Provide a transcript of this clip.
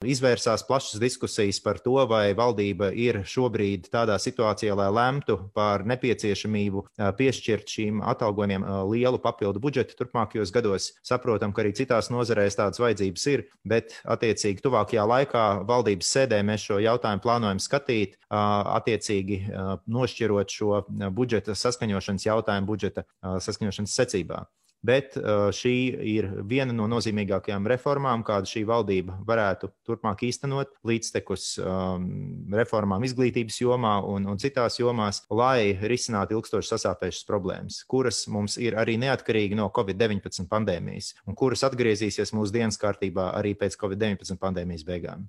Izvērsās plašas diskusijas par to, vai valdība ir šobrīd tādā situācijā, lai lemtu par nepieciešamību piešķirt šīm atalgojumiem lielu papildu budžetu turpmākajos gados. Saprotam, ka arī citās nozarēs tādas vajadzības ir, bet attiecīgi tuvākajā laikā valdības sēdē mēs šo jautājumu plānojam skatīt, attiecīgi nošķirot šo budžeta saskaņošanas jautājumu budžeta saskaņošanas secībā. Bet šī ir viena no nozīmīgākajām reformām, kādu šī valdība varētu turpmāk īstenot, līdztekus reformām izglītības jomā un citās jomās, lai risinātu ilgstoši sasāpējušas problēmas, kuras mums ir arī neatkarīgi no Covid-19 pandēmijas un kuras atgriezīsies mūsu dienas kārtībā arī pēc Covid-19 pandēmijas beigām.